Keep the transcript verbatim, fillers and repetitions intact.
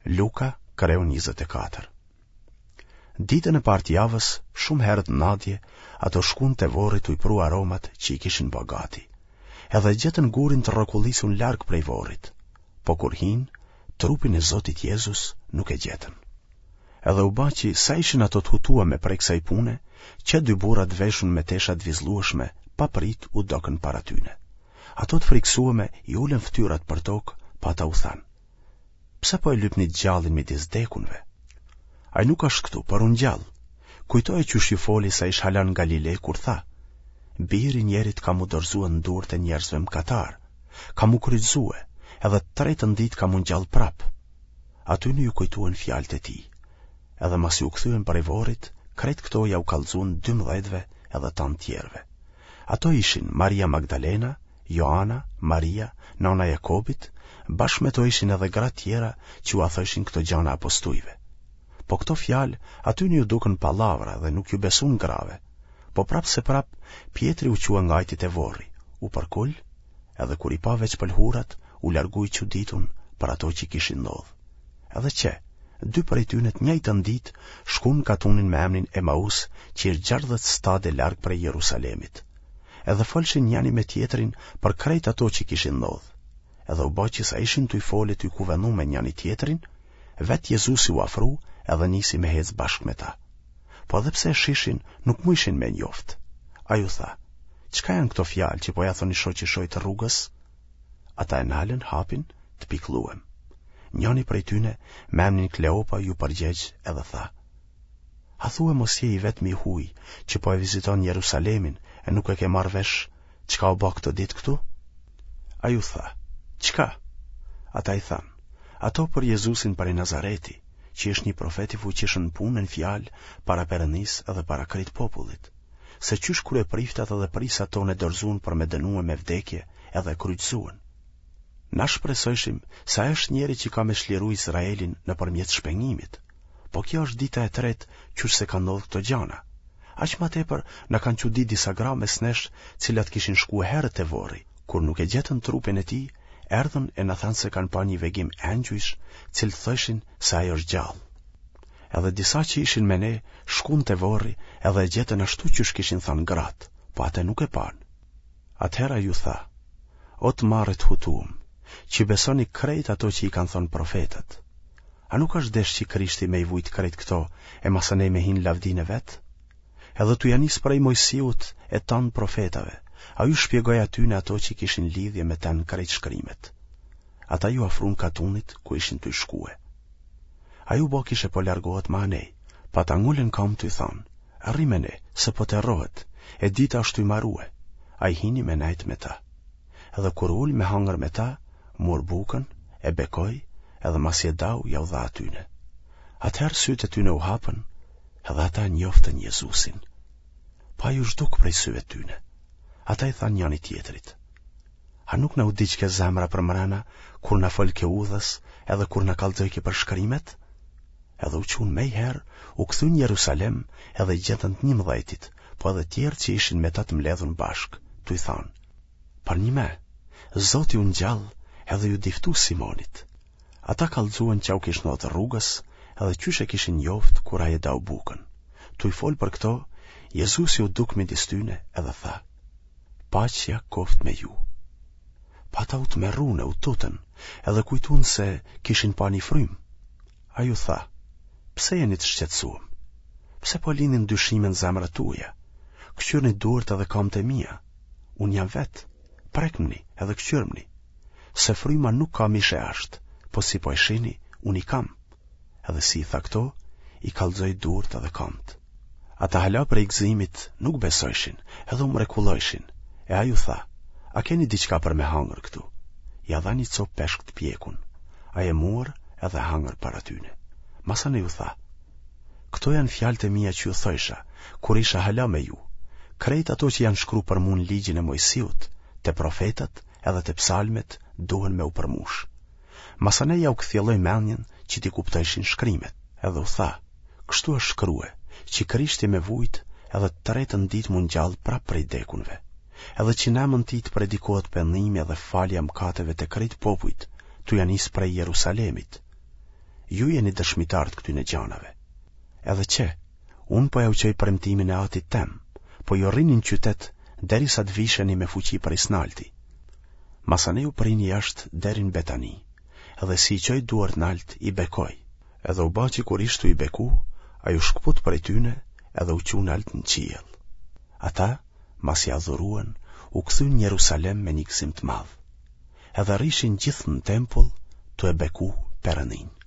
Luka, kreu njëzet e katër. Ditën e parë të javës, shumë herët në nadje, ato shkun te vorri tuj pru aromat që i kishin ba gati. Edhe gjetën gurin të rrokullisun larg prej vorrit. Po kur hinë, trupin e Zotit Jezus nuk e gjetën. Edhe u ba që sa ishin ato të hutuame prej kësaj pune, qe dy burra të veshun me tesha të vizllueshme, papritë u dokën para tyne. Ato të frikësueme i ulën fytyrat për tokë, po ata u thanë: Pse po e lypni të gjallin midis dekunve? Ai nuk është këtu, por u ngjall. Kujtoje qysh ju foli sa ish hala në Galile kur tha: Biri i njerit ka m'u dorëzue në durët e njerëzve mëkatarë, ka m'u kryqëzue, edhe të tretën ditë ka m'u ngjall prapë. Atyne ju kujtuen fjalët e tij. Edhe masi u kthyen prej vorrit, krejt këto jau kallxuen dymbëdhjetëve edhe tanë tjerëve. Ato ishin Maria Magdalena, Joana, Maria, nona e Jakobit, bashkë me to ishin edhe gra tjera që ua thojshin këto gjana apostujve. Po këto fjalë atyne ju dukën pallavra dhe nuk ju besun grave. Po prapë se prapë, Pjetri u çua ngajti te vorri, u përkul, edhe kur i pa veç pëlhurat, u largu i çuditun për ato që kishin ndodhë. Edhe qe, dy prej tyne të njëjtën ditë shkun në katunin me emnin Emaus, që është gjashtëdhjetë stade larg prej Jerusalemit. Edhe folshin njani me tjetrin për krejt ato që kishin ndodhë. Edhe u ba që sa ishin tuj folë e tuj kuvendu me njani tjetrin, vetë Jezusi u afru edhe nisi me hecë bashkë me ta. Po edhe pse e shishin, nuk mujshin me njoftë. Ai u tha, çka janë këto fjalë që po ja thoni shoqi shoqit rrugës? Ata e nalën hapin të pikëlluem. Njani prej tyne, me emnin Kleopa, ju përgjegj edhe tha, A thue mos je i vetmi i huj që po e viziton Jerusalemin e nuk e ke marrë vesh çka u ba këto ditë këtu? Ai u tha, çka? Ata i thanë, ato për Jezusin prej Nazareti, që është një profet i fuqishëm në punë e në fjalë para Perëndisë edhe para krejt popullit, se qysh kryepriftat edhe prijsat tonë e dorëzuan për me dënue me vdekje edhe e kryqëzuan. Na shpresojshim se ai është njeri që ka me çliru Izraelin nëpërmjet shpengimit. Po kjo është dita e tretë qysh se kanë ndodhur këto gjana. Aq ma tepër na kanë çudit disa gra mes nesh, cilat kishin shkue herët te vorri. Kur nuk e gjetën trupin e tij, erdhën e na thanë se kanë pa një vegim engjujsh, cilët thojshin se ai është gjallë. Edhe disa që ishin me ne shkun te vorri edhe e gjetën ashtu qysh kishin thanë gratë, po atë nuk e panë. Atëherë ai u tha, O të marrë të hutuam, që besoni krejt ato që i kanë thënë profetët. A nuk është desh që Krishti me i vujt krejt këto e masanej me hi në lavdinë e vet? Edhe tu ja nis prej Mojsiut e tanë profetave, ai u shpjegoi atyne ato që kishin lidhje me të në krejt shkrimet. Ata ju afrun katunit ku ishin tuj shkue. Ai u bë kishe po largohet ma anej, po ata ngulën kamë tuj thonë, rri me ne, se po terrohet, e dita është tuj marue. Ai hini me nejt me ta. Edhe kur u ul me hangër me ta, mur bukën, e bekoi, edhe masi e dau jau dha atyne. Atëherë sytë e tyne u hapën, edhe ata njoftën Jezusin. Po ai u zhduk prej syve tyne. Ata i thanë njani tjetrit, a nuk na u digjke zemra për mrena, kur na folke udhës, edhe kur na kallxojke për shkrimet? Edhe u çunë mejherë, u kthyn në Jerusalem, edhe i gjetën të njëmbëdhjetit, po edhe tjerë që ishin me ta të mbledhun bashkë, tuj thanë, Përnjime, Zoti u ngjall edhe ju diftu Simonit. Ata kallxuen ça u kish ndodhë rrugës edhe qysh e kishin njoft kur ai e dau bukën. Tuj fol për këto, Jezusi u duk midis tyne edhe tha, Paqja koft me ju. Po ata u tmerrun e u tutën, edhe kujtun se kishin pa një frymë. Ai u tha, Pse jeni të shqetësuam? Pse po lindin dyshime në zemrat tuaja? Kqyrni duart edhe kamët e mia. Unë jam vetë. Prekmni edhe kqyrmni. Se fryma nuk ka mish e asht, po si po e shihni, unë i kam. Edhe si i tha këto, i kallxoi duart edhe kamët. Ata hala prej gëzimit nuk besojshin, edhe u mrekullojshin. E ai u tha, a keni diçka për me hangër këtu? Ja dha një copë peshk të pjekun. Ai e mur edhe hangër para tyne. Masanej u tha, këto janë fjalët e mia që ju thojsha, kur isha hala me ju. Krejt ato që janë shkru për mu në ligjin e Mojsiut, te profetët edhe te psalmet duhen me u përmush. Masanej jau kthjelloi mendjen që t'i kuptojshin shkrimet. Edhe u tha, kështu është shkrue, që Krishti me vujt edhe të tretën ditë mu ngjall prap prej dekunve. Edhe që në emën tij të predikohet pendimi edhe falja mëkateve të krejt popujt, tu ja nis prej Jerusalemit. Ju jeni dëshmitarë të këtyne gjanave. Edhe qe, unë po jau çoj premtimin e Atit tem, po ju rrini në qytet derisa të visheni me fuqi prej s'nalti. Masanej u prinë jashtë deri në Betani, edhe si i çoi duart nalt i bekoi. Edhe u ba që kur ish tu i beku, ai u shkëput prej tyne edhe u çu nalt në qiell. Ata, masi adhuruan, u kthyen në Jerusalem me një gëzim të madh. Edhe rrishin gjithë në tempull tu e beku Perëndinë.